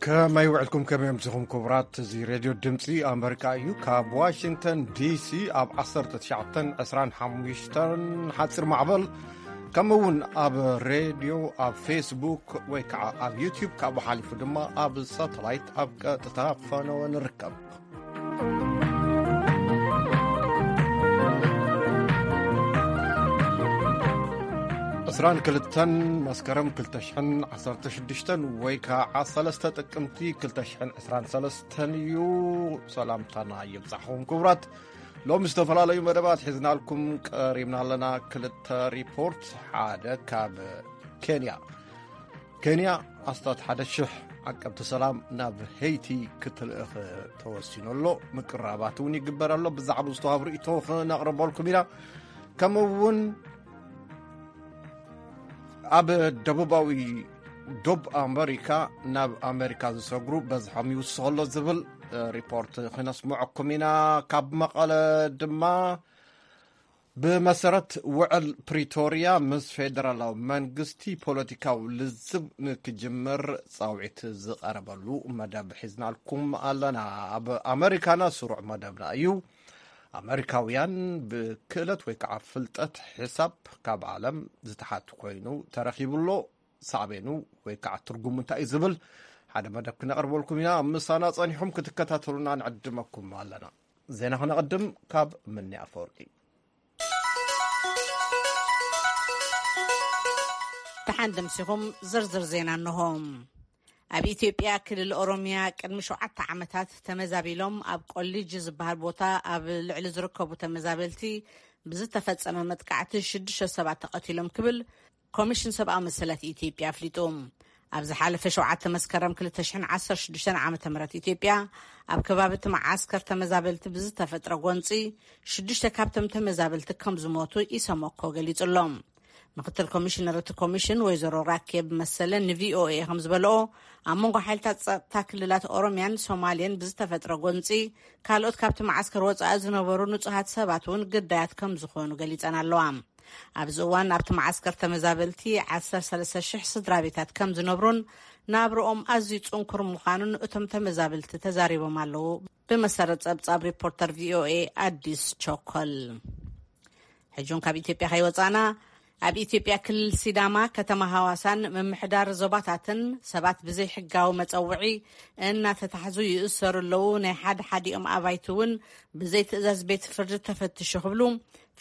ከመይ ውዕልኩም፣ ከመይ ኣምሲኹም ክቡራት? እዚ ሬድዮ ድምፂ ኣመሪካ እዩ። ካብ ዋሽንግተን ዲሲ ኣብ ዓሰርተ ትሽዓተን ዕስራን ሓሙሽተን ሓፂር ማዕበል፣ ከምኡ እውን ኣብ ሬድዮ፣ ኣብ ፌስቡክ ወይ ከዓ ኣብ ዩቲዩብ፣ ካብኡ ሓሊፉ ድማ ኣብ ሳተላይት ኣብ ቀጥታ ፈነወ ንርከብ። ዕስራን ክልተን መስከረም ክልተ ሽሕን ዓሰርተ ሽዱሽተን ወይ ከዓ ሰለስተ ጥቅምቲ ክልተ ሽሕን ዕስራን ሰለስተን እዩ። ሰላምታና ይብጻሕኹም ክቡራት። ሎሚ ዝተፈላለዩ መደባት ሒዝናልኩም ቀሪብና ኣለና። ክልተ ሪፖርት፣ ሓደ ካብ ኬንያ። ኬንያ ኣስታት ሓደ ሽሕ ዓቀብቲ ሰላም ናብ ሄይቲ ክትልእኽ ተወሲኑ ኣሎ። ምቅራባት እውን ይግበር ኣሎ። ብዛዕባ ዝተዋብ ርእይቶ ክነቕርበልኩም ኢና። ከምኡ እውን ኣብ ደቡባዊ ዶብ ኣመሪካ፣ ናብ ኣመሪካ ዝሰግሩ በዝሖም ይውስኽ ኣሎ ዝብል ሪፖርት ክነስምዐኩም ኢና። ካብ መቐለ ድማ፣ ብመሰረት ውዕል ፕሪቶርያ፣ ምስ ፌደራላዊ መንግስቲ ፖለቲካዊ ልዝብ ንክጅምር ጻውዒት ዝቐረበሉ መደብ ሒዝናልኩም ኣለና። ኣብ ኣመሪካና ስሩዕ መደብና እዩ። ኣመሪካውያን ብክእለት ወይ ከዓ ፍልጠት ሕሳብ ካብ ዓለም ዝተሓቱ ኮይኑ ተረኺቡ ኣሎ። ሳዕቤኑ ወይ ከዓ ትርጉሙ እንታይ እዩ ዝብል ሓደ መደብ ክነቕርበልኩም ኢና። ምሳና ጸኒሑም ክትከታተሉና ንዕድመኩም ኣለና። ዜና ክነቕድም ካብ ምኒ ኣፈወርቂ። ደሓን ደምሲኹም። ዝርዝር ዜና እንሆ። ኣብ ኢትዮጵያ ክልል ኦሮሚያ ቅድሚ ሸውዓተ ዓመታት ተመዛቢሎም ኣብ ቆሊጅ ዝበሃል ቦታ ኣብ ልዕሊ ዝርከቡ ተመዛበልቲ ብዝተፈጸመ መጥቃዕቲ ሽዱሽተ ሰባት ተቐቲሎም ክብል ኮሚሽን ሰብኣዊ መሰላት ኢትዮጵያ ኣፍሊጡ። ኣብ ዝሓለፈ ሸውዓተ መስከረም ክልተ ሽሕን ዓሰርተ ሽዱሽተን ዓመተ ምህረት ኢትዮጵያ ኣብ ከባቢ እቲ መዓስከር ተመዛበልቲ ብዝተፈጥረ ጎንጺ ሽዱሽተ ካብቶም ተመዛበልቲ ከም ዝሞቱ ኢሰመኮ ገሊጹ ኣሎ። ምክትል ኮሚሽነር እቲ ኮሚሽን ወይዘሮ ራኬብ መሰለ ንቪኦኤ ከም ዝበልኦ፣ ኣብ መንጎ ሓይልታት ጸጥታ ክልላት ኦሮሚያን ሶማሌን ብዝተፈጥረ ጎንጺ ካልኦት ካብቲ መዓስከር ወጻኢ ዝነበሩ ንጹሃት ሰባት እውን ግዳያት ከም ዝኾኑ ገሊጸን ኣለዋ። ኣብዚ እዋን ኣብቲ መዓስከር ተመዛበልቲ ዓሰርተ ሰለስተ ሽሕ ስድራ ቤታት ከም ዝነብሩን ናብርኦም ኣዝዩ ጽንኩር ምዃኑን እቶም ተመዛበልቲ ተዛሪቦም ኣለዉ። ብመሰረት ጸብጻብ ሪፖርተር ቪኦኤ ኣዲስ ቾኮል። ሕጂ እውን ካብ ኢትዮጵያ ከይወጻና፣ ኣብ ኢትዮጵያ ክልል ሲዳማ ከተማ ሃዋሳን ምምሕዳር ዞባታትን ሰባት ብዘይ ሕጋዊ መጸውዒ እናተታሕዙ ይእሰሩ ኣለዉ። ናይ ሓደ ሓዲኦም ኣባይቲ እውን ብዘይ ትእዛዝ ቤት ፍርዲ ተፈትሹ ክብሉ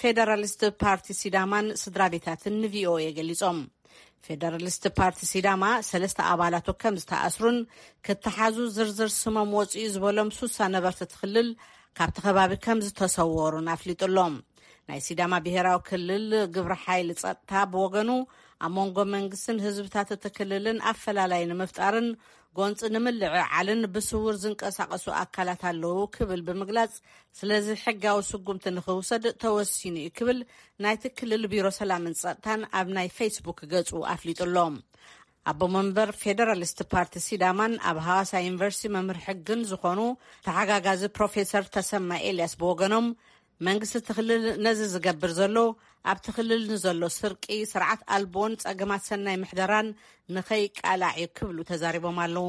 ፌደራሊስት ፓርቲ ሲዳማን ስድራ ቤታትን ንቪኦኤ ገሊጾም። ፌደራሊስት ፓርቲ ሲዳማ ሰለስተ ኣባላቱ ከም ዝተኣስሩን ክተሓዙ ዝርዝር ስሞም ወፂኡ ዝበሎም ሱሳ ነበርቲ እቲ ክልል ካብቲ ከባቢ ከም ዝተሰወሩን ኣፍሊጡ ኣሎ። ናይ ሲዳማ ብሄራዊ ክልል ግብረ ሓይሊ ጸጥታ ብወገኑ፣ ኣብ መንጎ መንግስትን ህዝብታት እቲ ክልልን ኣፈላላይ ንምፍጣርን ጎንፂ ንምልዕዓልን ብስውር ዝንቀሳቐሱ ኣካላት ኣለዉ ክብል ብምግላጽ፣ ስለዚ ሕጋዊ ስጉምቲ ንኽውሰድ ተወሲኑ እዩ ክብል ናይቲ ክልል ቢሮ ሰላምን ጸጥታን ኣብ ናይ ፌስቡክ ገጹ ኣፍሊጡ ኣሎ። ኣቦ መንበር ፌደራሊስት ፓርቲ ሲዳማን ኣብ ሃዋሳ ዩኒቨርሲቲ መምህር ሕግን ዝኾኑ ተሓጋጋዚ ፕሮፌሰር ተሰማ ኤልያስ ብወገኖም፣ መንግስቲ እቲ ክልል ነዚ ዝገብር ዘሎ ኣብቲ ክልል ንዘሎ ስርቂ፣ ስርዓት ኣልቦን ጸገማት ሰናይ ምሕደራን ንኸይቃላዕ እዩ ክብሉ ተዛሪቦም ኣለዉ።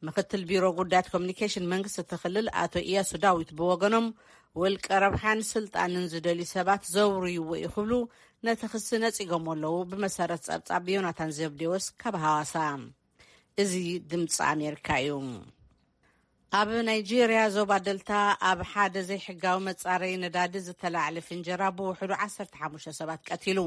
ምክትል ቢሮ ጉዳያት ኮሚኒኬሽን መንግስቲ እቲ ክልል ኣቶ ኢያሱ ዳዊት ብወገኖም፣ ውልቀ ረብሓን ስልጣንን ዝደልዩ ሰባት ዘውርይዎ እዩ ክብሉ ነቲ ክሲ ነጺጎም ኣለዉ። ብመሰረት ጸብጻብ ዮናታን ዘብዴዎስ ካብ ሃዋሳ። እዚ ድምፂ ኣሜሪካ እዩ። ኣብ ናይጄርያ ዞባ ደልታ ኣብ ሓደ ዘይሕጋዊ መጻረዪ ነዳዲ ዝተላዕለ ፍንጀራ ብውሕዱ ዓሰርተ ሓሙሽተ ሰባት ቀቲሉ።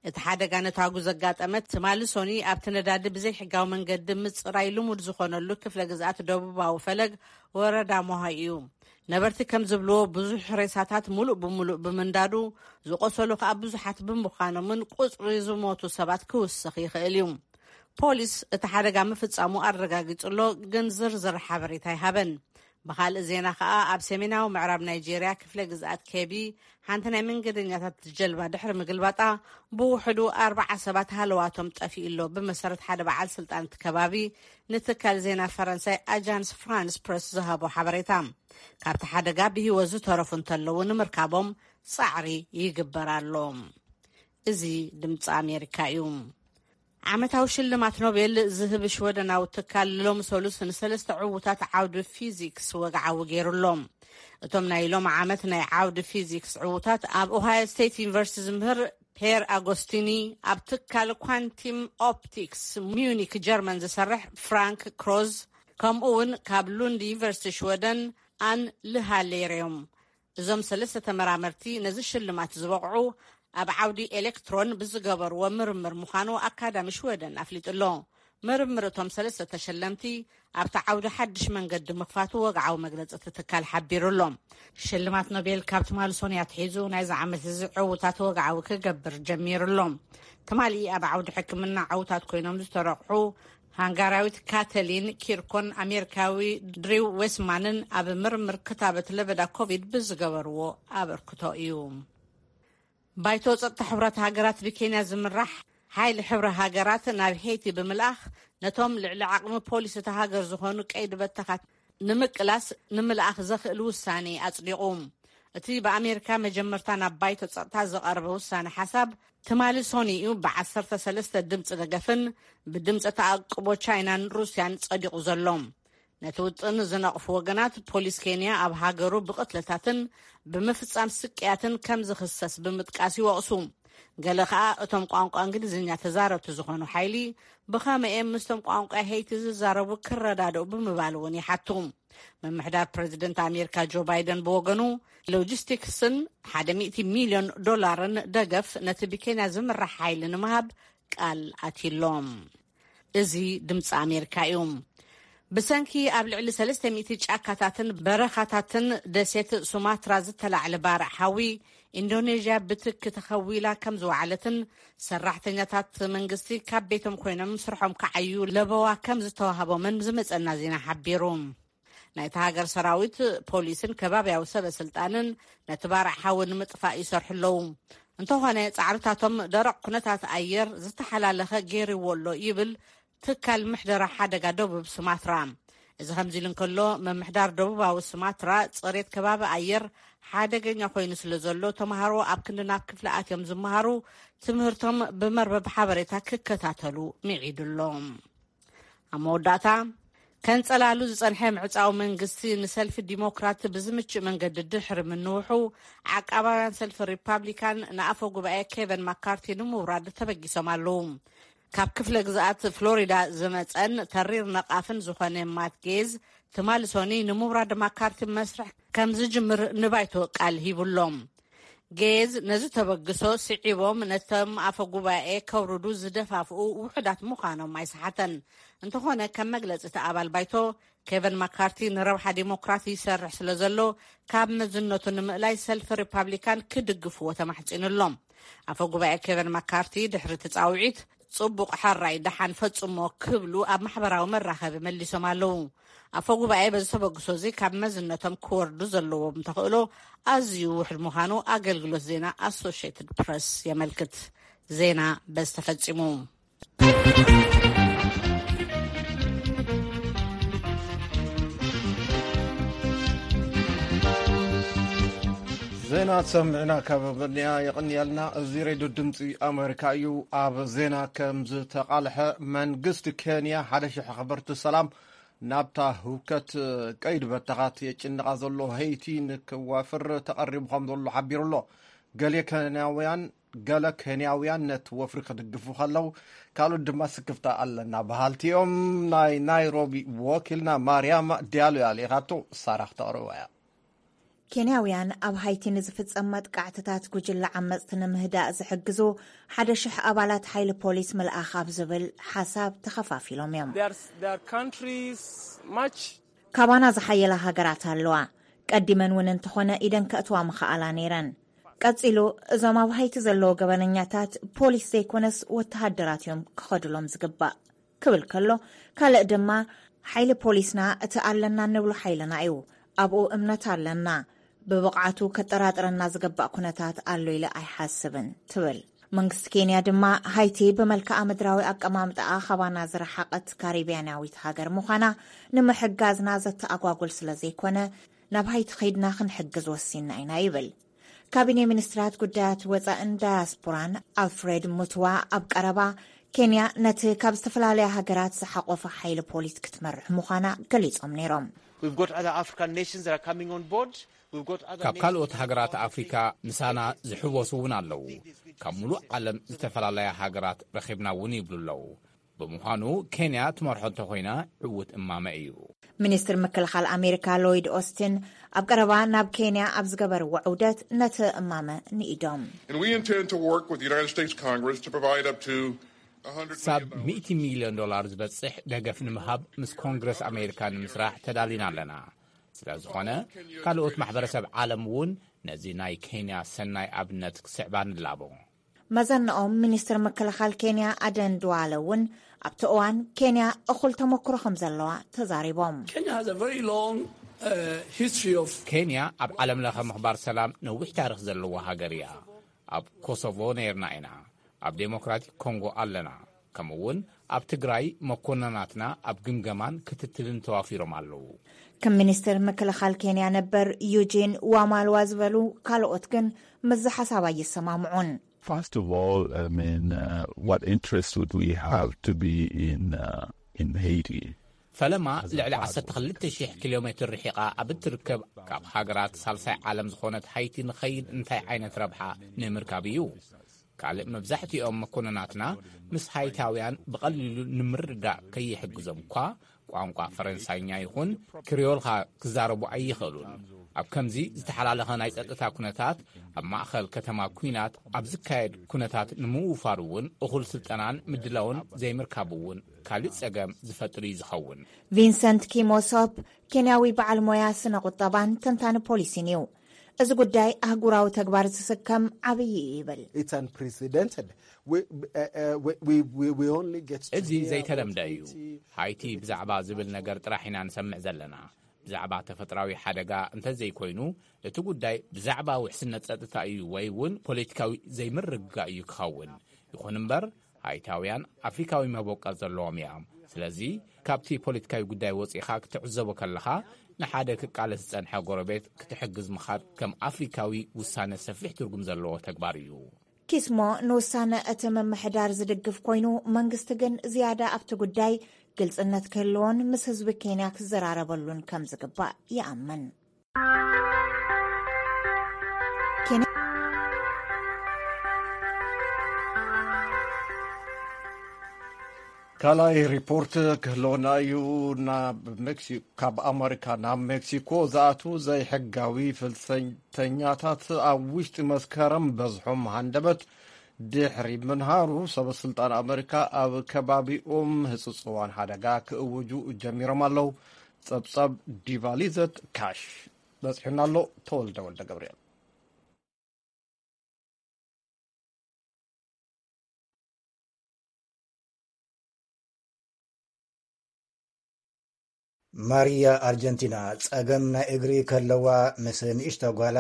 እቲ ሓደጋ ነታጉ ዘጋጠመ ትማሊ ሶኒ ኣብቲ ነዳዲ ብዘይሕጋዊ መንገዲ ምጽራይ ልሙድ ዝኾነሉ ክፍለ ግዝኣት ደቡባዊ ፈለግ ወረዳ ሞሃ እዩ። ነበርቲ ከም ዝብልዎ፣ ብዙሕ ሬሳታት ሙሉእ ብሙሉእ ብምንዳዱ፣ ዝቆሰሉ ከኣ ብዙሓት ብምዃኖምን ቁጽሪ ዝሞቱ ሰባት ክውስኽ ይኽእል እዩ። ፖሊስ እቲ ሓደጋ ምፍጻሙ ኣረጋጊጹ ኣሎ፣ ግን ዝርዝር ሓበሬታ ኣይሃበን። ብኻልእ ዜና ከኣ፣ ኣብ ሰሜናዊ ምዕራብ ናይጄርያ ክፍለ ግዝኣት ኬቢ፣ ሓንቲ ናይ መንገደኛታት ጀልባ ድሕሪ ምግልባጣ፣ ብውሕዱ ኣርባዓ ሰባት ሃለዋቶም ጠፊኡ ኣሎ፣ ብመሰረት ሓደ በዓል ስልጣን እቲ ከባቢ ንትካል ዜና ፈረንሳይ ኣጃንስ ፍራንስ ፕረስ ዝሃቦ ሓበሬታ። ካብቲ ሓደጋ ብህይወት ዝተረፉ እንተለዉ ንምርካቦም ጻዕሪ ይግበር ኣሎ። እዚ ድምፂ ኣሜሪካ እዩ። ዓመታዊ ሽልማት ኖቤል ዝህብ ሽወደናዊ ትካል ሎም ሰሉስ ንሰለስተ ዕዉታት ዓውዲ ፊዚክስ ወግዓዊ ገይሩሎም። እቶም ናይ ሎም ዓመት ናይ ዓውዲ ፊዚክስ ዕዉታት ኣብ ኦሃዮ ስቴት ዩኒቨርሲቲ ዝምህር ፔር ኣጎስቲኒ፣ ኣብ ትካል ኳንቲም ኦፕቲክስ ሚዩኒክ ጀርመን ዝሰርሕ ፍራንክ ክሮዝ፣ ከምኡ እውን ካብ ሉንድ ዩኒቨርሲቲ ሽወደን ኣን ልሃሌር እዮም። እዞም ሰለስተ ተመራመርቲ ነዚ ሽልማት ዝበቕዑ ኣብ ዓውዲ ኤሌክትሮን ብዝገበርዎ ምርምር ምዃኑ ኣካዳሚ ሽወደን ኣፍሊጡ ኣሎ። ምርምር እቶም ሰለስተ ተሸለምቲ ኣብቲ ዓውዲ ሓድሽ መንገዲ ምኽፋቱ ወግዓዊ መግለጺ እቲ ትካል ሓቢሩ ኣሎ። ሽልማት ኖቤል ካብ ትማሊ ሶንያ ኣትሒዙ ናይዚ ዓመት እዚ ዕውታት ወግዓዊ ክገብር ጀሚሩ ኣሎ። ትማሊ ኣብ ዓውዲ ሕክምና ዕውታት ኮይኖም ዝተረቑሑ ሃንጋራዊት ካተሊን ኪርኮን ኣሜሪካዊ ድሪው ዌስማንን ኣብ ምርምር ክታበት ለበዳ ኮቪድ ብዝገበርዎ ኣበርክቶ እዩ። ባይቶ ጸጥታ ሕብረት ሃገራት ብኬንያ ዝምራሕ ሓይሊ ሕብረ ሃገራት ናብ ሄይቲ ብምልኣኽ ነቶም ልዕሊ ዓቕሚ ፖሊስ እታ ሃገር ዝኾኑ ቀይዲ በተኻት ንምቅላስ ንምልኣኽ ዘኽእል ውሳኔ ኣጽዲቑ። እቲ ብኣሜሪካ መጀመርታ ናብ ባይቶ ጸጥታ ዝቐረበ ውሳነ ሓሳብ ትማሊ ሶኒኡ ብ13 ድምፂ ደገፍን ብድምፂ ተኣቅቦ ቻይናን ሩስያን ጸዲቑ ዘሎ። ነቲ ውጥን ዝነቕፉ ወገናት ፖሊስ ኬንያ ኣብ ሃገሩ ብቕትለታትን ብምፍጻም ስቅያትን ከም ዝኽሰስ ብምጥቃስ ይወቕሱ። ገለ ከኣ እቶም ቋንቋ እንግሊዝኛ ተዛረብቲ ዝኾኑ ሓይሊ ብኸመይ እዮም ምስቶም ቋንቋ ሄይቲ ዝዛረቡ ክረዳድኡ ብምባል እውን ይሓቱ። ምምሕዳር ፕሬዚደንት ኣሜሪካ ጆ ባይደን ብወገኑ ሎጂስቲክስን ሓደ ሚእቲ ሚልዮን ዶላርን ደገፍ ነቲ ብኬንያ ዝምራሕ ሓይሊ ንምሃብ ቃል ኣትዩሎም። እዚ ድምፂ ኣሜሪካ እዩ። ብሰንኪ ኣብ ልዕሊ ሰለስተ ሚእቲ ጫካታትን በረኻታትን ደሴት ሱማትራ ዝተላዕለ ባርዕ ሓዊ ኢንዶኔዥያ ብትኪ ተኸዊላ ከም ዝወዓለትን ሰራሕተኛታት መንግስቲ ካብ ቤቶም ኮይኖም ስርሖም ክዓዩ ለበዋ ከም ዝተዋህቦምን ዝመፀና ዜና ሓቢሩ። ናይቲ ሃገር ሰራዊት፣ ፖሊስን ከባብያዊ ሰበ ስልጣንን ነቲ ባርዕ ሓዊ ንምጥፋእ ይሰርሑ ኣለዉ። እንተኾነ ጻዕርታቶም ደረቕ ኩነታት ኣየር ዝተሓላለኸ ገይርዎ ኣሎ ይብል ትካል ምሕደራ ሓደጋ ደቡብ ሱማትራ። እዚ ከምዚ ኢሉ እንከሎ፣ ምምሕዳር ደቡባዊ ሱማትራ ጽሬት ከባቢ ኣየር ሓደገኛ ኮይኑ ስለ ዘሎ፣ ተምሃሮ ኣብ ክንዲ ናብ ክፍሊ ኣትዮም ዝመሃሩ ትምህርቶም ብመርበብ ሓበሬታ ክከታተሉ ምዒዱ ኣሎ። ኣብ መወዳእታ፣ ከንጸላሉ ዝጸንሐ ምዕጻው መንግስቲ ንሰልፊ ዲሞክራት ብዝምችእ መንገዲ ድሕሪ ምንውሑ፣ ዓቃባውያን ሰልፊ ሪፓብሊካን ንኣፈ ጉባኤ ኬቨን ማካርቲ ንምውራድ ተበጊሶም ኣለዉ። ካብ ክፍለ ግዝኣት ፍሎሪዳ ዝመጸን ተሪር ነቓፍን ዝኾነ ማት ጌዝ፣ ትማሊ ሶኒ ንምውራድ ማካርቲ መስርሕ ከም ዝጅምር ንባይቶ ቃል ሂቡሎም። ጌዝ ነዚ ተበግሶ ስዒቦም ነቶም ኣፈ ጉባኤ ከውርዱ ዝደፋፍኡ ውሑዳት ምዃኖም ኣይሰሓተን። እንተኾነ፣ ከም መግለጺ እቲ ኣባል ባይቶ፣ ኬቨን ማካርቲ ንረብሓ ዲሞክራት ይሰርሕ ስለ ዘሎ፣ ካብ መዝነቱ ንምእላይ ሰልፊ ሪፓብሊካን ክድግፍዎ ተማሕጺኑ ኣሎ። ኣፈ ጉባኤ ኬቨን ማካርቲ ድሕሪ እቲ ጻውዒት፣ "ጽቡቕ፣ ሕራይ፣ ደሓን፣ ፈጽሞ" ክብሉ ኣብ ማሕበራዊ መራኸቢ መሊሶም ኣለዉ። ኣፈ ጉባኤ በዚ ተበግሶ እዚ ካብ መዝነቶም ክወርዱ ዘለዎም ተኽእሎ ኣዝዩ ውሑድ ምዃኑ ኣገልግሎት ዜና ኣሶሽየትድ ፕረስ የመልክት። ዜና በዚ ተፈጺሙ። ዜና ሰሚዕና ካብ በርኒያ የቐንየልና። እዚ ሬድዮ ድምፂ ኣሜሪካ እዩ። ኣብ ዜና ከም ዝተቓልሐ፣ መንግስቲ ኬንያ ሓደ ሽሕ ኣኽበርቲ ሰላም ናብታ ህውከት ቀይዲ በተኻት የጭንቓ ዘሎ ሄይቲ ንክዋፍር ተቐሪቡ ከም ዘሎ ሓቢሩ ኣሎ። ገለ ኬንያውያን፣ ገለ ኬንያውያን ነቲ ወፍሪ ክድግፉ ከለዉ፣ ካልኦት ድማ ስክፍታ ኣለና በሃልቲ እዮም። ናይ ናይሮቢ ወኪልና ማርያማ ዲያሎ እያ ልኢኻቶ፣ ሳራ ክተቕርባ እያ። ኬንያውያን ኣብ ሃይቲ ንዝፍጸም መጥቃዕትታት ጉጅለ ዓመጽቲ ንምህዳእ ዝሕግዙ ሓደ ሽሕ ኣባላት ሓይሊ ፖሊስ ምልኣኽ ኣብ ዝብል ሓሳብ ተኸፋፊሎም እዮም። There are, there are countries much ካባና ዝሓየላ ሃገራት ኣለዋ። ቀዲመን እውን እንተኾነ ኢደን ከእትዋ ምኽኣላ ነይረን። ቀጺሉ፣ እዞም ኣብ ሃይቲ ዘለዉ ገበነኛታት ፖሊስ ዘይኮነስ ወተሃደራት እዮም ክኸዱሎም ዝግባእ ክብል ከሎ፣ ካልእ ድማ፣ ሓይሊ ፖሊስና እቲ ኣለና እንብሎ ሓይልና እዩ። ኣብኡ እምነት ኣለና። ብብቕዓቱ ከጠራጥረና ዝግባእ ኩነታት ኣሎ ኢለ ኣይሓስብን ትብል። መንግስቲ ኬንያ ድማ፣ ሃይቲ ብመልክዓ ምድራዊ ኣቀማምጣኣ ካባና ዝረሓቐት ካሪብያናዊት ሃገር ምዃና ንምሕጋዝና ዘተኣጓጉል ስለ ዘይኮነ፣ ናብ ሃይቲ ኸይድና ክንሕግዝ ወሲንና ኢና ይብል። ካቢኔ ሚኒስትራት ጉዳያት ወጻእን ዳያስፖራን ኣልፍሬድ ሙትዋ ኣብ ቀረባ፣ ኬንያ ነቲ ካብ ዝተፈላለያ ሃገራት ዝሓቆፈ ሓይሊ ፖሊስ ክትመርሕ ምዃና ገሊጾም ነይሮም። We've got other African nations that are coming on board. We've got other ካብ ካልኦት ሃገራት ኣፍሪካ ምሳና ዝሕወሱ እውን ኣለዉ። ካብ ሙሉእ ዓለም ዝተፈላለያ ሃገራት ረኺብና እውን ይብሉ ኣለዉ። ብምዃኑ ኬንያ ትመርሖ እንተኾይና ዕዉት እማመ እዩ። ሚኒስትር ምክልኻል ኣሜሪካ ሎይድ ኦስትን ኣብ ቀረባ ናብ ኬንያ ኣብ ዝገበርዎ ዕውደት ነቲ እማመ ንኢዶም። And we intend to work with the United States Congress to provide up to one hundred ሳብ million dollars. ሚእቲ ሚልዮን ዶላር ዝበጽሕ ደገፍ ንምሃብ ምስ ኮንግረስ ኣሜሪካ ንምስራሕ ተዳሊና ኣለና። ስለ ዝኾነ ካልኦት ማሕበረሰብ ዓለም እውን ነዚ ናይ ኬንያ ሰናይ ኣብነት ክስዕባ ንላቦ። መዘናኦም ሚኒስትር ምክልኻል ኬንያ ኣደን ድዋለ እውን ኣብቲ እዋን ኬንያ እኹል ተመክሮ ከም ዘለዋ ተዛሪቦም። Kenya has a very long uh, history of ኬንያ ኣብ ዓለም ለኸ ምኽባር ሰላም ነዊሕ ታሪኽ ዘለዋ ሃገር እያ። ኣብ ኮሶቮ ነይርና ኢና። ኣብ ዴሞክራቲክ ኮንጎ ኣለና። ከምኡ እውን ኣብ ትግራይ መኮንናትና ኣብ ግምገማን ክትትልን ተዋፊሮም ኣለዉ። ከም ሚኒስትር ምክልኻል ኬንያ ነበር ዩጂን ዋማልዋ ዝበሉ ካልኦት ግን ምስዚ ሓሳብ ኣይሰማምዑን። First of all, I mean, uh, what interest would we have to be in uh, in Haiti? ፈለማ ልዕሊ ዓሰርተ ክልተ ሽሕ ኪሎ ሜትር ርሒቓ ኣብ እትርከብ ካብ ሃገራት ሳልሳይ ዓለም ዝኾነት ሃይቲ ንኸይድ እንታይ ዓይነት ረብሓ ንምርካብ እዩ? ካልእ መብዛሕትኦም መኮንናትና ምስ ሃይታውያን ብቐሊሉ ንምርዳእ ከይሕግዞም እኳ ቋንቋ ፈረንሳይኛ ይኹን ክሪዮልኻ ክዛረቡ ኣይኽእሉን። ኣብ ከምዚ ዝተሓላለኸ ናይ ጸጥታ ኩነታት ኣብ ማእኸል ከተማ ኲናት ኣብ ዝካየድ ኩነታት ንምውፋር እውን እኹል ስልጠናን ምድላውን ዘይምርካብ እውን ካልእ ጸገም ዝፈጥር እዩ ዝኸውን። ቪንሰንት ኪሞሶፕ ኬንያዊ በዓል ሞያ ስነ ቁጠባን ተንታኒ ፖሊሲን እዩ። እዚ ጉዳይ ኣህጉራዊ ተግባር ዝስከም ዓብዪ እዩ ይብል። It's unprecedented. We, uh, uh, we, we, we, we only get to እዚ hear ዘይተለምደ about እዩ። Haiti ሃይቲ ብዛዕባ ዝብል ነገር ጥራሕ ኢና ንሰምዕ ዘለና። ብዛዕባ ተፈጥራዊ ሓደጋ እንተዘይኮይኑ እቲ ጉዳይ ብዛዕባ ውሕስነት ጸጥታ እዩ ወይ እውን ፖለቲካዊ ዘይምርግጋእ እዩ ክኸውን። ይኹን እምበር ሃይታውያን ኣፍሪካዊ መበቆል ዘለዎም እዮም። ስለዚ ካብቲ ፖለቲካዊ ጉዳይ ወፂኻ ክትዕዘቦ ከለኻ ንሓደ ክቃለስ ዝጸንሐ ጎረቤት ክትሕግዝ ምኻድ ከም ኣፍሪካዊ ውሳነ ሰፊሕ ትርጉም ዘለዎ ተግባር እዩ። ኪስሞ ንውሳነ እቲ ምምሕዳር ዝድግፍ ኮይኑ መንግስቲ ግን ዝያዳ ኣብቲ ጉዳይ ግልጽነት ክህልዎን ምስ ህዝቢ ኬንያ ክዘራረበሉን ከም ዝግባእ ይኣምን። ካልኣይ ሪፖርት ክህልወና እዩ። ናብ ሜክሲኮ ካብ ኣመሪካ ናብ ሜክሲኮ ዝኣትዉ ዘይሕጋዊ ፍልሰተኛታት ኣብ ውሽጢ መስከረም በዝሖም ሃንደበት ድሕሪ ምንሃሩ ሰበ ስልጣን ኣመሪካ ኣብ ከባቢኦም ህፅፅዋን ሓደጋ ክእውጁ ጀሚሮም ኣለዉ። ፀብፀብ ዲቫሊዘት ካሽ በፂሑና ኣሎ። ተወልደ ወልደ ገብርኤል። ማሪያ ኣርጀንቲና ጸገም ናይ እግሪ ከለዋ ምስ ንእሽቶ ጓላ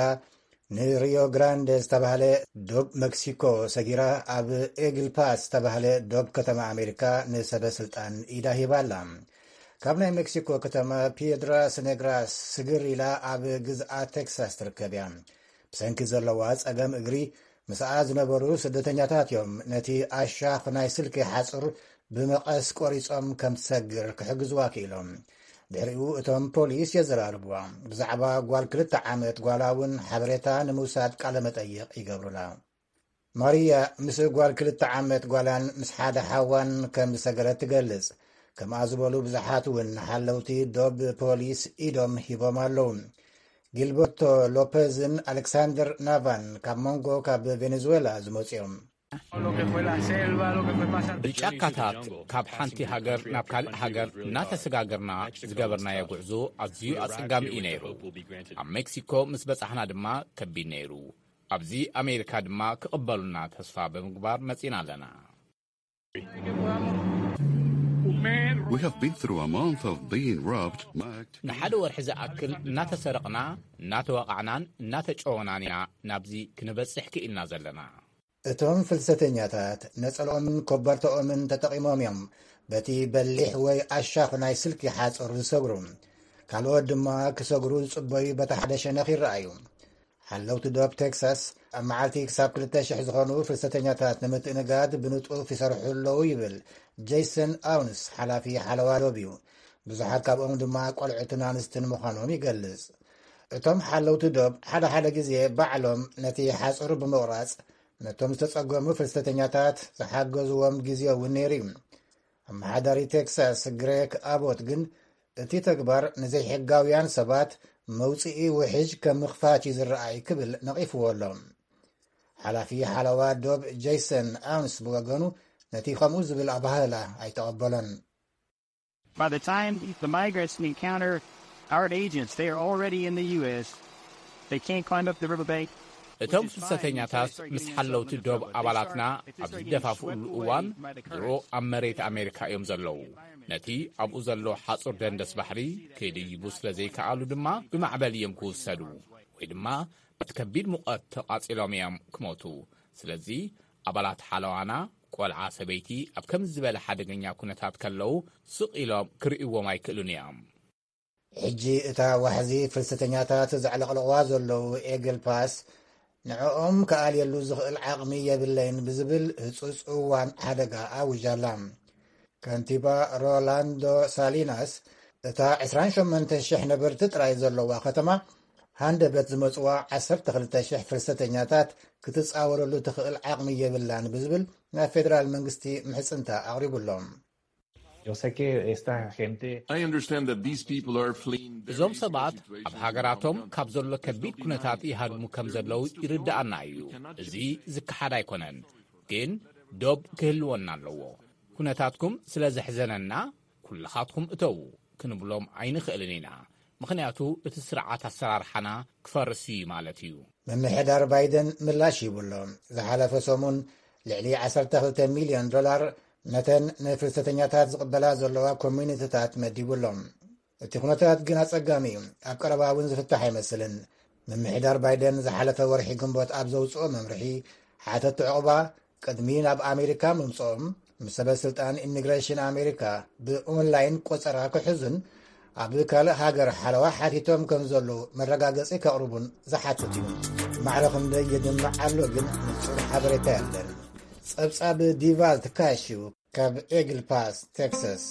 ንሪዮ ግራንደ ዝተባህለ ዶብ መክሲኮ ሰጊራ ኣብ ኤግል ፓስ ዝተባህለ ዶብ ከተማ ኣሜሪካ ንሰበ ስልጣን ኢዳ ሂባ ኣላ። ካብ ናይ መክሲኮ ከተማ ፒየድራስ ኔግራስ ስግር ኢላ ኣብ ግዝኣት ቴክሳስ ትርከብ እያ። ብሰንኪ ዘለዋ ጸገም እግሪ ምስኣ ዝነበሩ ስደተኛታት እዮም ነቲ ኣሻኽ ናይ ስልኪ ሓጹር ብመቐስ ቆሪጾም ከም ትሰግር ክሕግዝዋ ክኢሎም። ድሕሪኡ እቶም ፖሊስ የዘራርብዋ። ብዛዕባ ጓል ክልተ ዓመት ጓላ እውን ሓበሬታ ንምውሳድ ቃለ መጠይቕ ይገብሩላ። ማሪያ ምስ ጓል ክልተ ዓመት ጓላን ምስ ሓደ ሓዋን ከም ዝሰገረት ትገልጽ። ከምኣ ዝበሉ ብዙሓት እውን ሓለውቲ ዶብ ፖሊስ ኢዶም ሂቦም ኣለዉ። ጊልበርቶ ሎፐዝን ኣሌክሳንደር ናቫን ካብ መንጎ ካብ ቬኔዙዌላ ዝመጹ እዮም። ብጫካታት ካብ ሓንቲ ሃገር ናብ ካልእ ሃገር እናተሰጋገርና ዝገበርናዮ ጉዕዞ ኣዝዩ ኣጸጋሚ እዩ ነይሩ። ኣብ ሜክሲኮ ምስ በጻሕና ድማ ከቢድ ነይሩ። ኣብዚ ኣሜሪካ ድማ ክቕበሉና ተስፋ ብምግባር መጺና ኣለና። We have been through a month of being robbed, mugged. ንሓደ ወርሒ ዝኣክል እናተሰረቕና እናተወቓዕናን እናተጨወናን ኢና ናብዚ ክንበጽሕ ክኢልና ዘለና። እቶም ፍልሰተኛታት ነጸልኦምን ኮበርተኦምን ተጠቒሞም እዮም በቲ በሊሕ ወይ ኣሻኽ ናይ ስልኪ ሓጹር ዝሰግሩ። ካልኦት ድማ ክሰግሩ ዝጽበዩ በቲ ሓደ ሸነኽ ይረኣዩ። ሓለውቲ ዶብ ቴክሳስ ኣብ መዓልቲ ክሳብ ክልተ ሽሕ ዝኾኑ ፍልሰተኛታት ንምትእንጋድ ብንጡፍ ይሰርሑ ኣለዉ ይብል ጄይሰን ኣውንስ፣ ሓላፊ ሓለዋ ዶብ እዩ። ብዙሓት ካብኦም ድማ ቆልዑትን ኣንስትን ምዃኖም ይገልጽ። እቶም ሓለውቲ ዶብ ሓደ ሓደ ግዜ ባዕሎም ነቲ ሓጹር ብምቑራጽ ነቶም ዝተጸገሙ ፍልሰተኛታት ዝሓገዝዎም ግዜ እውን ነይሩ እዩ። ኣመሓዳሪ ቴክሳስ ግሬክ ኣቦት ግን እቲ ተግባር ንዘይሕጋውያን ሰባት መውጽኢ ውሕጅ ከም ምኽፋት እዩ ዝረኣይ ክብል ነቒፍዎ ኣሎ። ሓላፊ ሓለዋ ዶብ ጄይሰን ኣውንስ ብወገኑ ነቲ ከምኡ ዝብል ኣባህላ ኣይተቐበሎን። By the time the migrants encounter our agents, they are already in the U S. They can't climb up the riverbank. እቶም ፍልሰተኛታት ምስ ሓለውቲ ዶብ ኣባላትና ኣብ ዝደፋፍኡሉ እዋን ድሮ ኣብ መሬት ኣሜሪካ እዮም ዘለዉ። ነቲ ኣብኡ ዘሎ ሓጹር ደንደስ ባሕሪ ክድይቡ ስለ ዘይከኣሉ ድማ ብማዕበል እዮም ክውሰዱ ወይ ድማ በቲ ከቢድ ሙቐት ተቓጺሎም እዮም ክሞቱ። ስለዚ ኣባላት ሓለዋና ቆልዓ ሰበይቲ ኣብ ከምዚ ዝበለ ሓደገኛ ኩነታት ከለዉ ስቕ ኢሎም ክርእይዎም ኣይክእሉን እዮም። ሕጂ እታ ዋሕዚ ፍልሰተኛታት ዘዕለቕልቕዋ ዘለዉ ኤግል ፓስ ንዕኦም ክኣልየሉ ዝኽእል ዓቕሚ የብለይን ብዝብል ህጹጽ እዋን ሓደጋ ኣውጃ ኣላ። ከንቲባ ሮላንዶ ሳሊናስ እታ ዕስራን ሸሞንተን ሽሕ ነበርቲ ጥራይ ዘለዋ ከተማ ሃንደበት ዝመጽዋ ዓሰርተ ክልተ ሽሕ ፍልሰተኛታት ክትጻወረሉ ትኽእል ዓቕሚ የብላን ብዝብል ናይ ፌደራል መንግስቲ ምሕጽንታ ኣቕሪቡሎም። Yo sé que esta gente I understand that these people are fleeing very እዞም ሰባት ኣብ ሃገራቶም ካብ ዘሎ ከቢድ ኩነታት ይሃድሙ ከም ዘለዉ ይርድኣና እዩ። እዚ ዝከሓድ ኣይኮነን። ግን ዶብ ክህልወና ኣለዎ። ኩነታትኩም ስለ ዘሕዘነና ኩልኻትኩም እተዉ ክንብሎም ኣይንኽእልን ኢና። ምኽንያቱ እቲ ስርዓት ኣሰራርሓና ክፈርስ እዩ ማለት እዩ። ምምሕዳር ባይደን ምላሽ ሂቡ ኣሎ። ዝሓለፈ ሰሙን ልዕሊ ዓሰርተ ክልተ ሚልዮን ዶላር ነተን ንፍልሰተኛታት ዝቕበላ ዘለዋ ኮሚኒቲታት መዲቡ ኣሎ። እቲ ኩነታት ግን ኣጸጋሚ እዩ። ኣብ ቀረባ እውን ዝፍታሕ ኣይመስልን። ምምሕዳር ባይደን ዝሓለፈ ወርሒ ግንቦት ኣብ ዘውጽኦ መምርሒ፣ ሓተቲ ዕቑባ ቅድሚ ናብ ኣሜሪካ ምምጽኦም ምስ ሰበ ስልጣን ኢሚግሬሽን ኣሜሪካ ብኦንላይን ቆጸራ ክሕዙን ኣብ ካልእ ሃገር ሓለዋ ሓቲቶም ከም ዘለዉ መረጋገጺ ከቕርቡን ዝሓትት እዩ። ማዕረ ክንደይ ይድምዕ ኣሎ ግን ንጹር ሓበሬታ የለን። ጸብጻብ ዲቫልት ካሽ እዩ ካብ ኤግል ፓስ ቴክሳስ።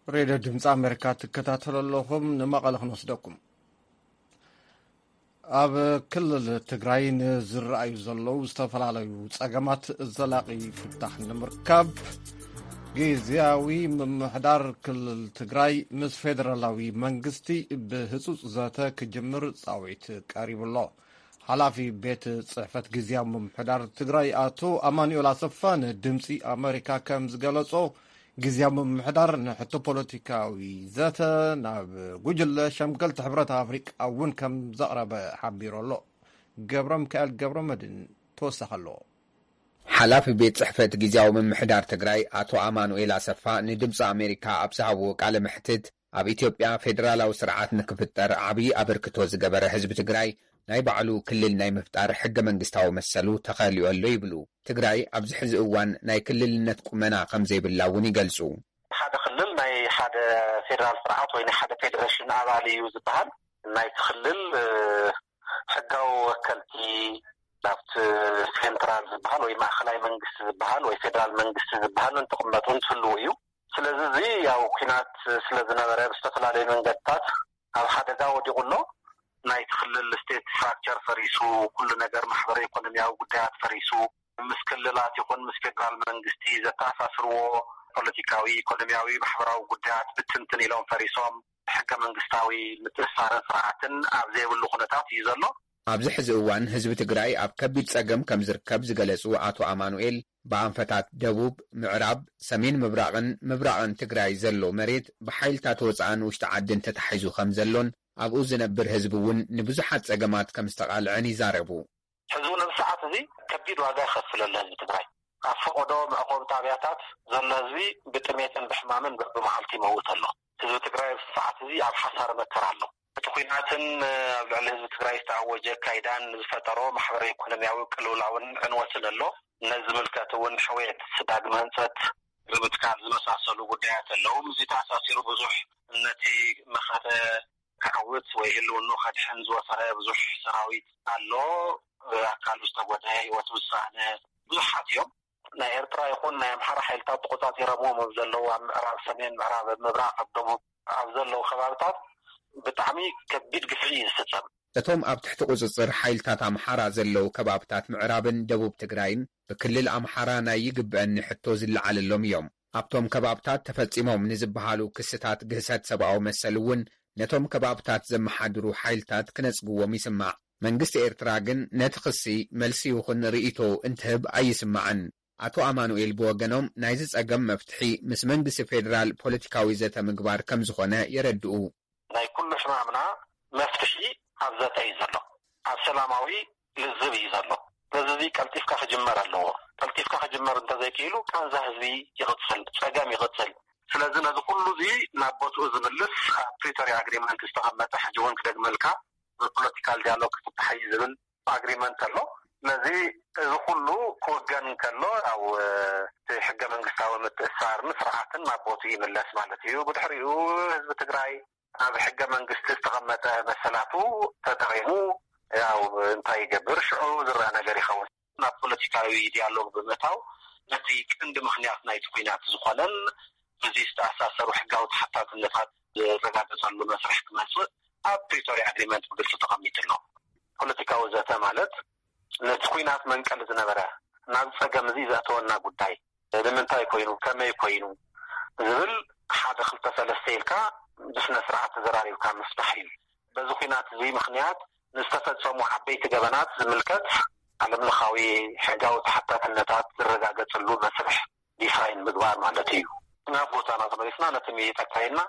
ሬድዮ ድምፂ ኣሜሪካ ትከታተሉ ኣለኹም። ንመቐለ ክንወስደኩም። ኣብ ክልል ትግራይ ንዝረኣዩ ዘለዉ ዝተፈላለዩ ፀገማት ዘላቒ ፍታሕ ንምርካብ ግዝያዊ ምምሕዳር ክልል ትግራይ ምስ ፌደራላዊ መንግስቲ ብህፁፅ ዘተ ክጅምር ፃውዒት ቀሪቡ ኣሎ። ሓላፊ ቤት ጽሕፈት ግዝያዊ ምምሕዳር ትግራይ ኣቶ ኣማኑኤል ኣሰፋ ንድምፂ ኣመሪካ ከም ዝገለጾ፣ ግዝያዊ ምምሕዳር ንሕቶ ፖለቲካዊ ዘተ ናብ ጉጅለ ሸምገልቲ ሕብረት ኣፍሪቃ እውን ከም ዘቕረበ ሓቢሩ ኣሎ። ገብረ ሚካኤል ገብረ መድን ተወሳኺ ኣለዎ። ሓላፊ ቤት ጽሕፈት ግዝያዊ ምምሕዳር ትግራይ ኣቶ ኣማኑኤል ኣሰፋ ንድምፂ ኣሜሪካ ኣብ ዝሃብዎ ቃለ መሕትት፣ ኣብ ኢትዮጵያ ፌደራላዊ ስርዓት ንክፍጠር ዓብዪ ኣበርክቶ ዝገበረ ህዝቢ ትግራይ ናይ ባዕሉ ክልል ናይ ምፍጣር ሕገ መንግስታዊ መሰሉ ተኸሊኡ ኣሎ ይብሉ። ትግራይ ኣብዚ ሕዚ እዋን ናይ ክልልነት ቁመና ከም ዘይብላ እውን ይገልፁ። ሓደ ክልል ናይ ሓደ ፌደራል ስርዓት ወይ ናይ ሓደ ፌደሬሽን ኣባል እዩ ዝበሃል። ናይቲ ክልል ሕጋዊ ወከልቲ ናብቲ ሴንትራል ዝበሃል ወይ ማእኸላይ መንግስቲ ዝበሃል ወይ ፌደራል መንግስቲ ዝበሃል እንትቕመጡ እንትህልዉ እዩ። ስለዚ እዚ ያው ኲናት ስለ ዝነበረ ብዝተፈላለዩ መንገድታት ኣብ ሓደጋ ወዲቑ ኣሎ። ናይቲ ክልል ስቴት ስትራክቸር ፈሪሱ፣ ኩሉ ነገር ማሕበረ ኢኮኖሚያዊ ጉዳያት ፈሪሱ፣ ምስ ክልላት ይኹን ምስ ፌደራል መንግስቲ ዘተኣሳስርዎ ፖለቲካዊ፣ ኢኮኖሚያዊ፣ ማሕበራዊ ጉዳያት ብትንትን ኢሎም ፈሪሶም፣ ሕገ መንግስታዊ ምትእስሳርን ስርዓትን ኣብ ዘይብሉ ኩነታት እዩ ዘሎ። ኣብዚ ሕዚ እዋን ህዝቢ ትግራይ ኣብ ከቢድ ፀገም ከም ዝርከብ ዝገለፁ ኣቶ ኣማኑኤል፣ ብኣንፈታት ደቡብ፣ ምዕራብ፣ ሰሜን ምብራቕን ምብራቕን ትግራይ ዘሎ መሬት ብሓይልታት ወፃእን ውሽጢ ዓድን ተታሒዙ ከም ዘሎን ኣብኡ ዝነብር ህዝቢ እውን ንብዙሓት ፀገማት ከም ዝተቓልዐን ይዛረቡ። ሕዚ እውን ኣብዚ ሰዓት እዚ ከቢድ ዋጋ ይኸፍል ኣሎ ህዝቢ ትግራይ። ኣብ ፈቐዶ መዕቆቢ ጣብያታት ዘሎ ህዝቢ ብጥሜትን ብሕማምን በብመዓልቲ ይመውት ኣሎ። ህዝቢ ትግራይ ኣብዚ ሰዓት እዚ ኣብ ሓሳረ መከራ ኣሎ። እቲ ኲናትን ኣብ ልዕሊ ህዝቢ ትግራይ ዝተኣወጀ ኣካይዳን ዝፈጠሮ ማሕበረ ኢኮኖሚያዊ ቅልውላውን ዕንወትን ኣሎ። ነዚ ዝምልከት እውን ሕውየት ዳግመ ህንፀት ብምትካል ዝመሳሰሉ ጉዳያት ኣለዉ። እዚ ተኣሳሲሩ ብዙሕ ነቲ መኸተ ክዕውት ወይ ህልውኑ ከድሕን ዝወፈረ ብዙሕ ሰራዊት ኣሎ። ኣካሉ ዝተጎደ፣ ህይወት ውሳነ ብዙሓት እዮም። ናይ ኤርትራ ይኹን ናይ ኣምሓራ ሓይልታት ተቆጻጺሮምዎም ኣብ ዘለዉ ኣብ ምዕራብ፣ ሰሜን፣ ምዕራብ፣ ኣብ ምብራቕ፣ ኣብ ደቡብ ኣብ ዘለዉ ከባብታት ብጣዕሚ ከቢድ ግፍዒ እዩ ዝፍጸም። እቶም ኣብ ትሕቲ ቁጽጽር ሓይልታት ኣምሓራ ዘለዉ ከባብታት ምዕራብን ደቡብ ትግራይን ብክልል ኣምሓራ ናይ ይግብአኒ ሕቶ ዝለዓለሎም እዮም። ኣብቶም ከባብታት ተፈጺሞም ንዝበሃሉ ክስታት ግህሰት ሰብኣዊ መሰል እውን ነቶም ከባብታት ዘመሓድሩ ሓይልታት ክነጽግዎም ይስማዕ። መንግስቲ ኤርትራ ግን ነቲ ክሲ መልሲ ይኹን ርእይቶ እንትህብ ኣይስማዕን። ኣቶ ኣማኑኤል ብወገኖም ናይዚ ጸገም መፍትሒ ምስ መንግስቲ ፌደራል ፖለቲካዊ ዘተ ምግባር ከም ዝኾነ የረድኡ። ናይ ኩሉ ሕማምና መፍትሒ ኣብ ዘተ እዩ ዘሎ፣ ኣብ ሰላማዊ ልዝብ እዩ ዘሎ። ስለዚ እዚ ቀልጢፍካ ክጅመር ኣለዎ። ቀልጢፍካ ክጅመር እንተዘይክኢሉ ቃንዛ ህዝቢ ይቕጽል፣ ጸገም ይቕጽል። ስለዚ ነዚ ኩሉ እዚ ናብ ቦትኡ ዝምልስ ኣብ ፕሪቶርያ ኣግሪመንት ዝተቐመጠ ሕጂ እውን ክደግመልካ ብፖለቲካል ዲያሎግ ክፍታሕ እዩ ዝብል ኣግሪመንት ኣሎ። ስለዚ እዚ ኩሉ ክወገን እንከሎ ያው እቲ ሕገ መንግስታዊ ምትእስሳርን ስርዓትን ናብ ቦትኡ ይምለስ ማለት እዩ። ብድሕሪኡ ህዝቢ ትግራይ ኣብ ሕገ መንግስቲ ዝተቐመጠ መሰላቱ ተጠቒሙ ያው እንታይ ይገብር ሽዑ ዝረአ ነገር ይኸውን። ናብ ፖለቲካዊ ዲያሎግ ብምእታው ነቲ ቀንዲ ምኽንያት ናይቲ ኲናት ዝኾነን እዚ ዝተኣሳሰሩ ሕጋዊ ተሓታትነታት ዝረጋገጸሉ መስርሕ ክመጽእ ኣብ ፕሪቶርያ ኣግሪመንት ብግልፂ ተቐሚጡ ኣሎ። ፖለቲካዊ ዘተ ማለት ነቲ ኲናት መንቀሊ ዝነበረ ናብ ጸገም እዚ ዘእተወና ጉዳይ ንምንታይ ኮይኑ፣ ከመይ ኮይኑ ዝብል ሓደ ክልተ ሰለስተ ኢልካ ብስነ ስርዓት ተዘራሪብካ ምፍታሕ እዩ። በዚ ኲናት እዚ ምኽንያት ንዝተፈጸሙ ዓበይቲ ገበናት ዝምልከት ዓለም ለኻዊ ሕጋዊ ተሓታትነታት ዝረጋገጽሉ መስርሕ ዲፋይን ምግባር ማለት እዩ። ናብ ቦታና ተመሊስና ነቲ ምይይጥ ኣካይድና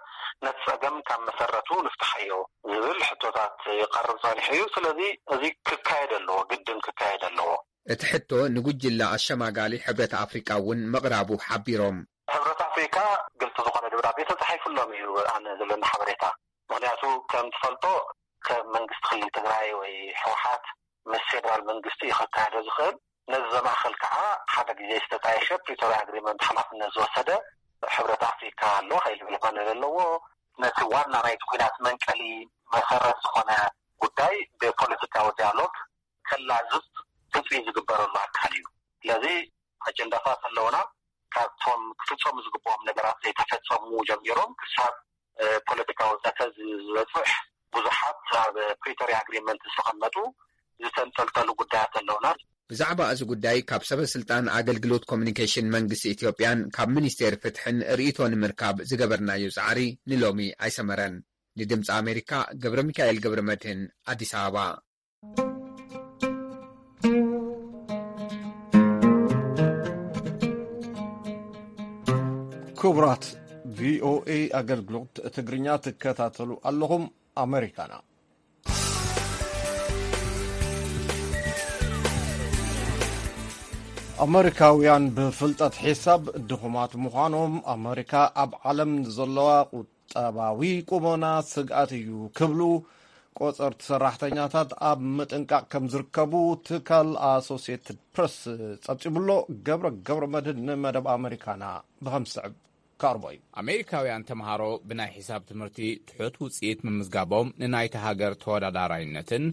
ነቲ ጸገም ካብ መሰረቱ ንፍትሓዮ ዝብል ሕቶታት ይቐርብ ጸኒሑ እዩ። ስለዚ እዚ ክካየድ ኣለዎ፣ ግድን ክካየድ ኣለዎ። እቲ ሕቶ ንጉጅለ ኣሸማጋሊ ሕብረት ኣፍሪቃ እውን ምቕራቡ ሓቢሮም። ሕብረት ኣፍሪካ ግልፂ ዝኾነ ደብዳቤ ተፃሒፉሎም እዩ ኣነ ዘለኒ ሓበሬታ። ምኽንያቱ ከም ትፈልጦ ከም መንግስቲ ክልል ትግራይ ወይ ህወሓት ምስ ፌደራል መንግስቲ እዩ ከካየዶ ዝኽእል። ነዚ ዘማእኸል ከዓ ሓደ ግዜ ዝተጣየሸ ፕሪቶርያ ኣግሪመንት ሓላፍነት ዝወሰደ ሕብረት ኣፍሪካ ኣሎ። ከይልብል ፓነል ኣለዎ። ነቲ ዋና ናይቲ ኲናት መንቀሊ መሰረት ዝኾነ ጉዳይ ብፖለቲካዊ ዲያሎግ ከላዝብ ትፅቢት ዝግበረሉ ኣካል እዩ። ስለዚ ኣጀንዳታት ኣለውና። ካብቶም ክፍፀሙ ዝግብኦም ነገራት ዘይተፈፀሙ ጀሚሮም ክሳብ ፖለቲካዊ ዘተ ዝበፅሕ ብዙሓት ኣብ ፕሪቶርያ ኣግሪመንት ዝተቐመጡ ዝተንጠልጠሉ ጉዳያት ኣለውና። ብዛዕባ እዚ ጉዳይ ካብ ሰበ ስልጣን ኣገልግሎት ኮሚኒኬሽን መንግስቲ ኢትዮጵያን ካብ ሚኒስቴር ፍትሕን ርእይቶ ንምርካብ ዝገበርናዮ ጻዕሪ ንሎሚ ኣይሰመረን። ንድምፂ ኣሜሪካ ገብረ ሚካኤል ገብረ መድህን፣ ኣዲስ ኣበባ። ክቡራት ቪኦኤ ኣገልግሎት ትግርኛ ትከታተሉ ኣለኹም። ኣሜሪካና ኣመሪካውያን ብፍልጠት ሒሳብ ድኹማት ምዃኖም ኣመሪካ ኣብ ዓለም ዘለዋ ቁጠባዊ ቁመና ስግኣት እዩ ክብሉ ቆጸርቲ ሰራሕተኛታት ኣብ ምጥንቃቕ ከም ዝርከቡ ትካል ኣሶሲየትድ ፕረስ ጸብጺቡሎ። ገብረ ገብረ መድህን ንመደብ ኣመሪካና ብኸም ዝስዕብ ከቕርቦ እዩ። ኣሜሪካውያን ተምሃሮ ብናይ ሒሳብ ትምህርቲ ትሑት ውጽኢት ምምዝጋቦም ንናይታ ሃገር ተወዳዳራይነትን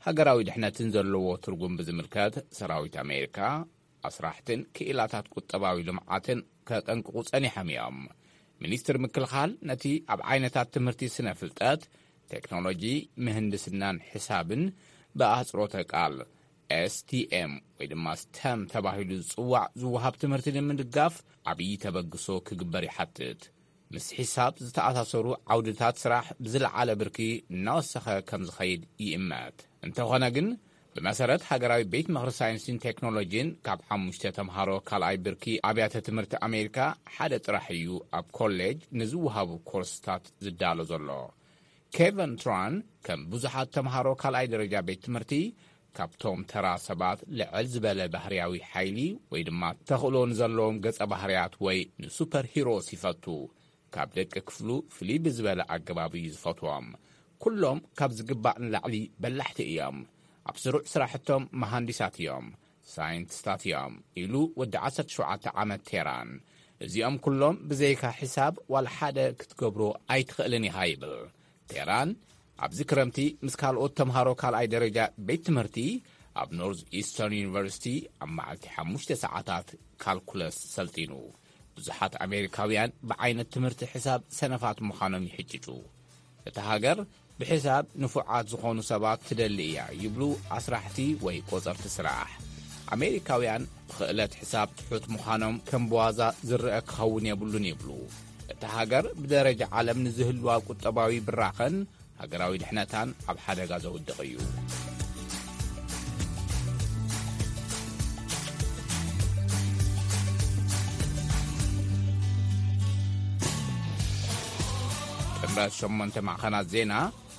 ሃገራዊ ድሕነትን ዘለዎ ትርጉም ብዝምልከት ሰራዊት ኣሜሪካ ኣስራሕትን ክኢላታት ቁጠባዊ ልምዓትን ከጠንቅቑ ጸኒሖም እዮም። ሚኒስትር ምክልኻል ነቲ ኣብ ዓይነታት ትምህርቲ ስነ ፍልጠት፣ ቴክኖሎጂ፣ ምህንድስናን ሕሳብን ብኣህጽሮተ ቃል ኤስቲኤም ወይ ድማ ስተም ተባሂሉ ዝጽዋዕ ዝወሃብ ትምህርቲ ንምድጋፍ ዓብዪ ተበግሶ ክግበር ይሓትት። ምስ ሒሳብ ዝተኣሳሰሩ ዓውድታት ስራሕ ብዝለዓለ ብርኪ እናወሰኸ ከም ዝኸይድ ይእመት። እንተኾነ ግን ብመሰረት ሃገራዊ ቤት ምኽሪ ሳይንስን ቴክኖሎጂን ካብ ሓሙሽተ ተምሃሮ ካልኣይ ብርኪ ኣብያተ ትምህርቲ ኣሜሪካ ሓደ ጥራሕ እዩ ኣብ ኮሌጅ ንዝወሃቡ ኮርስታት ዝዳሎ ዘሎ። ኬቨን ትራን ከም ብዙሓት ተምሃሮ ካልኣይ ደረጃ ቤት ትምህርቲ ካብቶም ተራ ሰባት ልዕል ዝበለ ባህርያዊ ሓይሊ ወይ ድማ ተኽእሎ ንዘለዎም ገጸ ባህርያት ወይ ንሱፐር ሂሮስ ይፈቱ። ካብ ደቂ ክፍሉ ፍልይ ብዝበለ ኣገባብ እዩ ዝፈትዎም። ኩሎም ካብ ዝግባእ ንላዕሊ በላሕቲ እዮም። ኣብ ስሩዕ ስራሕቶም መሃንዲሳት እዮም። ሳይንቲስታት እዮም፣ ኢሉ ወዲ ዓሰርተ ሸውዓተ ዓመት ቴራን። እዚኦም ኩሎም ብዘይካ ሒሳብ ዋላ ሓደ ክትገብሮ ኣይትኽእልን ኢኻ ይብል። ቴራን ኣብዚ ክረምቲ ምስ ካልኦት ተምሃሮ ካልኣይ ደረጃ ቤት ትምህርቲ ኣብ ኖርዝ ኢስተርን ዩኒቨርሲቲ ኣብ መዓልቲ ሓሙሽተ ሰዓታት ካልኩለስ ሰልጢኑ። ብዙሓት ኣሜሪካውያን ብዓይነት ትምህርቲ ሕሳብ ሰነፋት ምዃኖም ይሕጭጩ። እታ ሃገር ብሕሳብ ንፉዓት ዝኾኑ ሰባት ትደሊ እያ ይብሉ ኣስራሕቲ ወይ ቆጸርቲ ስራሕ። ኣሜሪካውያን ብኽእለት ሕሳብ ትሑት ምዃኖም ከም ብዋዛ ዝረአ ክኸውን የብሉን ይብሉ። እታ ሃገር ብደረጃ ዓለም ንዝህልዋ ቁጠባዊ ብራኸን ሃገራዊ ድሕነታን ኣብ ሓደጋ ዘውድቕ እዩ። ጥምረት ሸሞንተ ማዕኸናት ዜና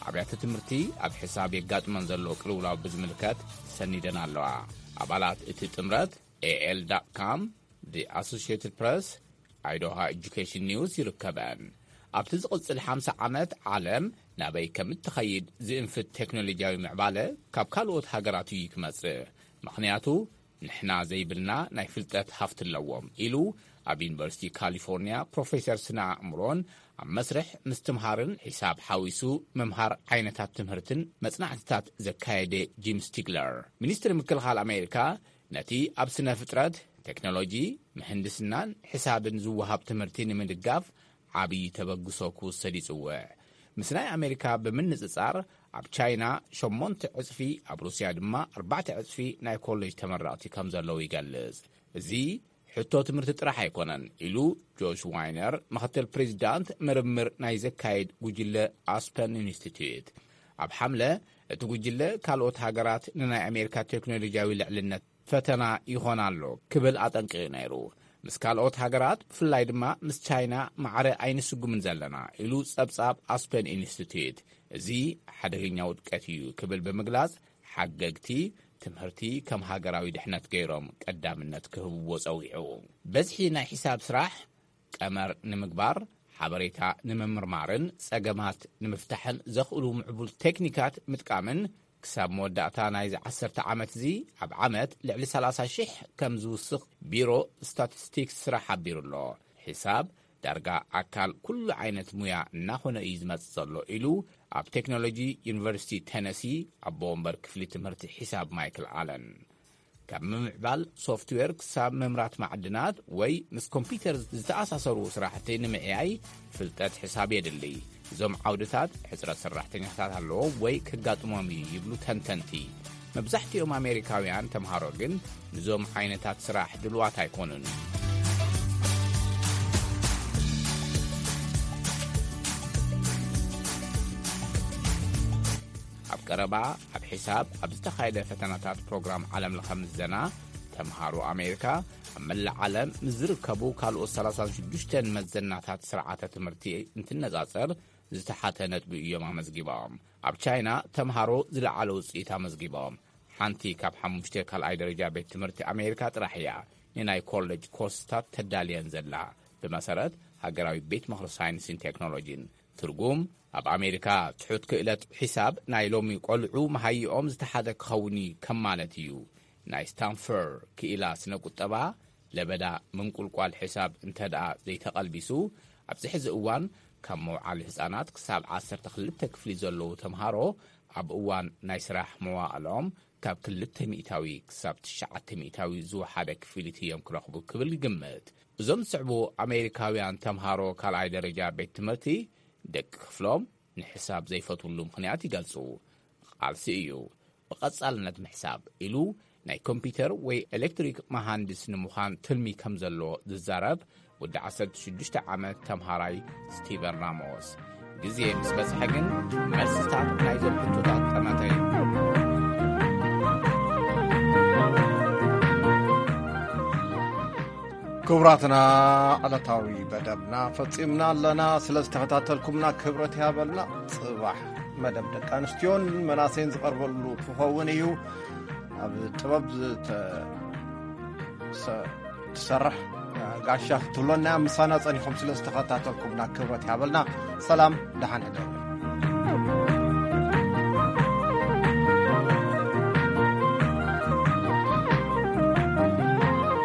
ኣብያተ ትምህርቲ ኣብ ሕሳብ የጋጥመን ዘሎ ቅልውላው ብዝምልከት ሰኒደን ኣለዋ። ኣባላት እቲ ጥምረት ኤኤል ዳት ካም፣ ዲ ኣሶሽየትድ ፕረስ፣ ኣይዶሃ ኤጁኬሽን ኒውስ ይርከበን። ኣብቲ ዝቕጽል ሓምሳ ዓመት ዓለም ናበይ ከም እትኸይድ ዝእንፍት ቴክኖሎጂያዊ ምዕባለ ካብ ካልኦት ሃገራት እዩ ክመጽእ። ምኽንያቱ ንሕና ዘይብልና ናይ ፍልጠት ሃፍቲ ኣለዎም ኢሉ ኣብ ዩኒቨርሲቲ ካሊፎርኒያ ፕሮፌሰር ስነ ኣእምሮን ኣብ መስርሕ ምስትምሃርን ሒሳብ ሓዊሱ ምምሃር ዓይነታት ትምህርትን መጽናዕትታት ዘካየደ ጂም ስቲግለር። ሚኒስትሪ ምክልኻል ኣሜሪካ ነቲ ኣብ ስነ ፍጥረት፣ ቴክኖሎጂ፣ ምህንድስናን ሕሳብን ዝወሃብ ትምህርቲ ንምድጋፍ ዓብዪ ተበግሶ ክውሰድ ይጽውዕ። ምስ ናይ ኣሜሪካ ብምንጽጻር ኣብ ቻይና ሸሞንተ ዕጽፊ፣ ኣብ ሩስያ ድማ ኣርባዕተ ዕጽፊ ናይ ኮሌጅ ተመረቕቲ ከም ዘለዉ ይገልጽ። እዚ ሕቶ ትምህርቲ ጥራሕ ኣይኮነን ኢሉ ጆሽ ዋይነር፣ ምኽትል ፕሬዚዳንት ምርምር ናይ ዘካየድ ጉጅለ ኣስፐን ኢንስቲትዩት። ኣብ ሓምለ እቲ ጉጅለ ካልኦት ሃገራት ንናይ ኣሜሪካ ቴክኖሎጂያዊ ልዕልነት ፈተና ይኾን ኣሎ ክብል ኣጠንቂቑ ነይሩ። ምስ ካልኦት ሃገራት ብፍላይ ድማ ምስ ቻይና ማዕረ ኣይንስጉምን ዘለና ኢሉ ጸብጻብ ኣስፐን ኢንስቲትዩት። እዚ ሓደገኛ ውድቀት እዩ ክብል ብምግላጽ ሓገግቲ ትምህርቲ ከም ሃገራዊ ድሕነት ገይሮም ቀዳምነት ክህብዎ ጸዊዑ። በዝሒ ናይ ሒሳብ ስራሕ ቀመር ንምግባር፣ ሓበሬታ ንምምርማርን ጸገማት ንምፍታሕን ዘኽእሉ ምዕቡል ቴክኒካት ምጥቃምን ክሳብ መወዳእታ ናይዚ ዓሰርተ ዓመት እዚ ኣብ ዓመት ልዕሊ ሰላሳ ሽሕ ከም ዝውስኽ ቢሮ ስታቲስቲክስ ስራሕ ሓቢሩ ኣሎ። ሒሳብ ዳርጋ ኣካል ኩሉ ዓይነት ሙያ እናኾነ እዩ ዝመጽእ ዘሎ ኢሉ ኣብ ቴክኖሎጂ ዩኒቨርሲቲ ቴነሲ ኣቦ ወንበር ክፍሊ ትምህርቲ ሒሳብ ማይክል ኣለን። ካብ ምምዕባል ሶፍትዌር ክሳብ ምምራት ማዕድናት ወይ ምስ ኮምፒውተር ዝተኣሳሰሩ ስራሕቲ ንምዕያይ ፍልጠት ሕሳብ የድሊ። እዞም ዓውድታት ሕጽረት ሰራሕተኛታት ኣለዎም ወይ ከጋጥሞም እዩ ይብሉ ተንተንቲ። መብዛሕትኦም ኣሜሪካውያን ተምሃሮ ግን ንዞም ዓይነታት ስራሕ ድልዋት ኣይኮኑን። ኣብ ቀረባ ኣብ ሒሳብ ኣብ ዝተኻየደ ፈተናታት ፕሮግራም ዓለምለኸ ምዘና ተምሃሮ ኣሜሪካ ኣብ መላእ ዓለም ምስ ዝርከቡ ካልኦት ሰላሳን ሽዱሽተን መዘናታት ስርዓተ ትምህርቲ እንትነጻጸር ዝተሓተ ነጥቢ እዮም ኣመዝጊቦም። ኣብ ቻይና ተምሃሮ ዝለዓለ ውጽኢት ኣመዝጊቦም። ሓንቲ ካብ ሓሙሽተ ካልኣይ ደረጃ ቤት ትምህርቲ ኣሜሪካ ጥራሕ እያ ንናይ ኮሌጅ ኮርስታት ተዳልየን ዘላ፣ ብመሰረት ሃገራዊ ቤት ምኽሪ ሳይንስን ቴክኖሎጂን። ትርጉም፣ ኣብ ኣሜሪካ ትሑት ክእለት ሒሳብ ናይ ሎሚ ቆልዑ መሃይኦም ዝተሓተ ክኸውን እዩ ከም ማለት እዩ። ናይ ስታንፈር ክኢላ ስነ ቁጠባ፣ ለበዳ ምንቁልቋል ሕሳብ እንተ ደኣ ዘይተቐልቢሱ፣ ኣብዚ ሕዚ እዋን ካብ መውዓሊ ህጻናት ክሳብ ዓሰርተ ክልተ ክፍሊ ዘለዉ ተምሃሮ ኣብ እዋን ናይ ስራሕ መዋእሎም ካብ ክልተ ሚእታዊ ክሳብ ትሽዓተ ሚእታዊ ዝወሓደ ክፍሊት እዮም ክረኽቡ ክብል ይግምት። እዞም ዝስዕቡ ኣሜሪካውያን ተምሃሮ ካልኣይ ደረጃ ቤት ትምህርቲ ደቂ ክፍሎም ንሕሳብ ዘይፈትውሉ ምኽንያት ይገልጹ። ቃልሲ እዩ። ብቐጻልነት ምሕሳብ ኢሉ ናይ ኮምፒውተር ወይ ኤሌክትሪክ መሃንድስ ንምዃን ትልሚ ከም ዘሎ ዝዛረብ ወዲ ዓሰርተ ሽዱሽተ ዓመት ተምሃራይ ስቲቨን ራሞስ። ግዜ ምስ በጽሐ ግን መልስታት ናይዞም ሕቶታት ጠመተ። ክቡራትና፣ ዕለታዊ መደብና ፈጺምና ኣለና። ስለ ዝተኸታተልኩምና ክብረት ይሃበልና። ጽባሕ መደብ ደቂ ኣንስትዮን መናሰይን ዝቐርበሉ ክኸውን እዩ። ኣብ ጥበብ ዝተ-፣ ሰ-፣ ትሰርሕ ጋሻ ክትብሎና፣ ምሳና ጸኒኹም ስለ ዝተኸታተልኩምና ክብረት ይሃበልና። ሰላም፣ ደሓን ሕደሩ።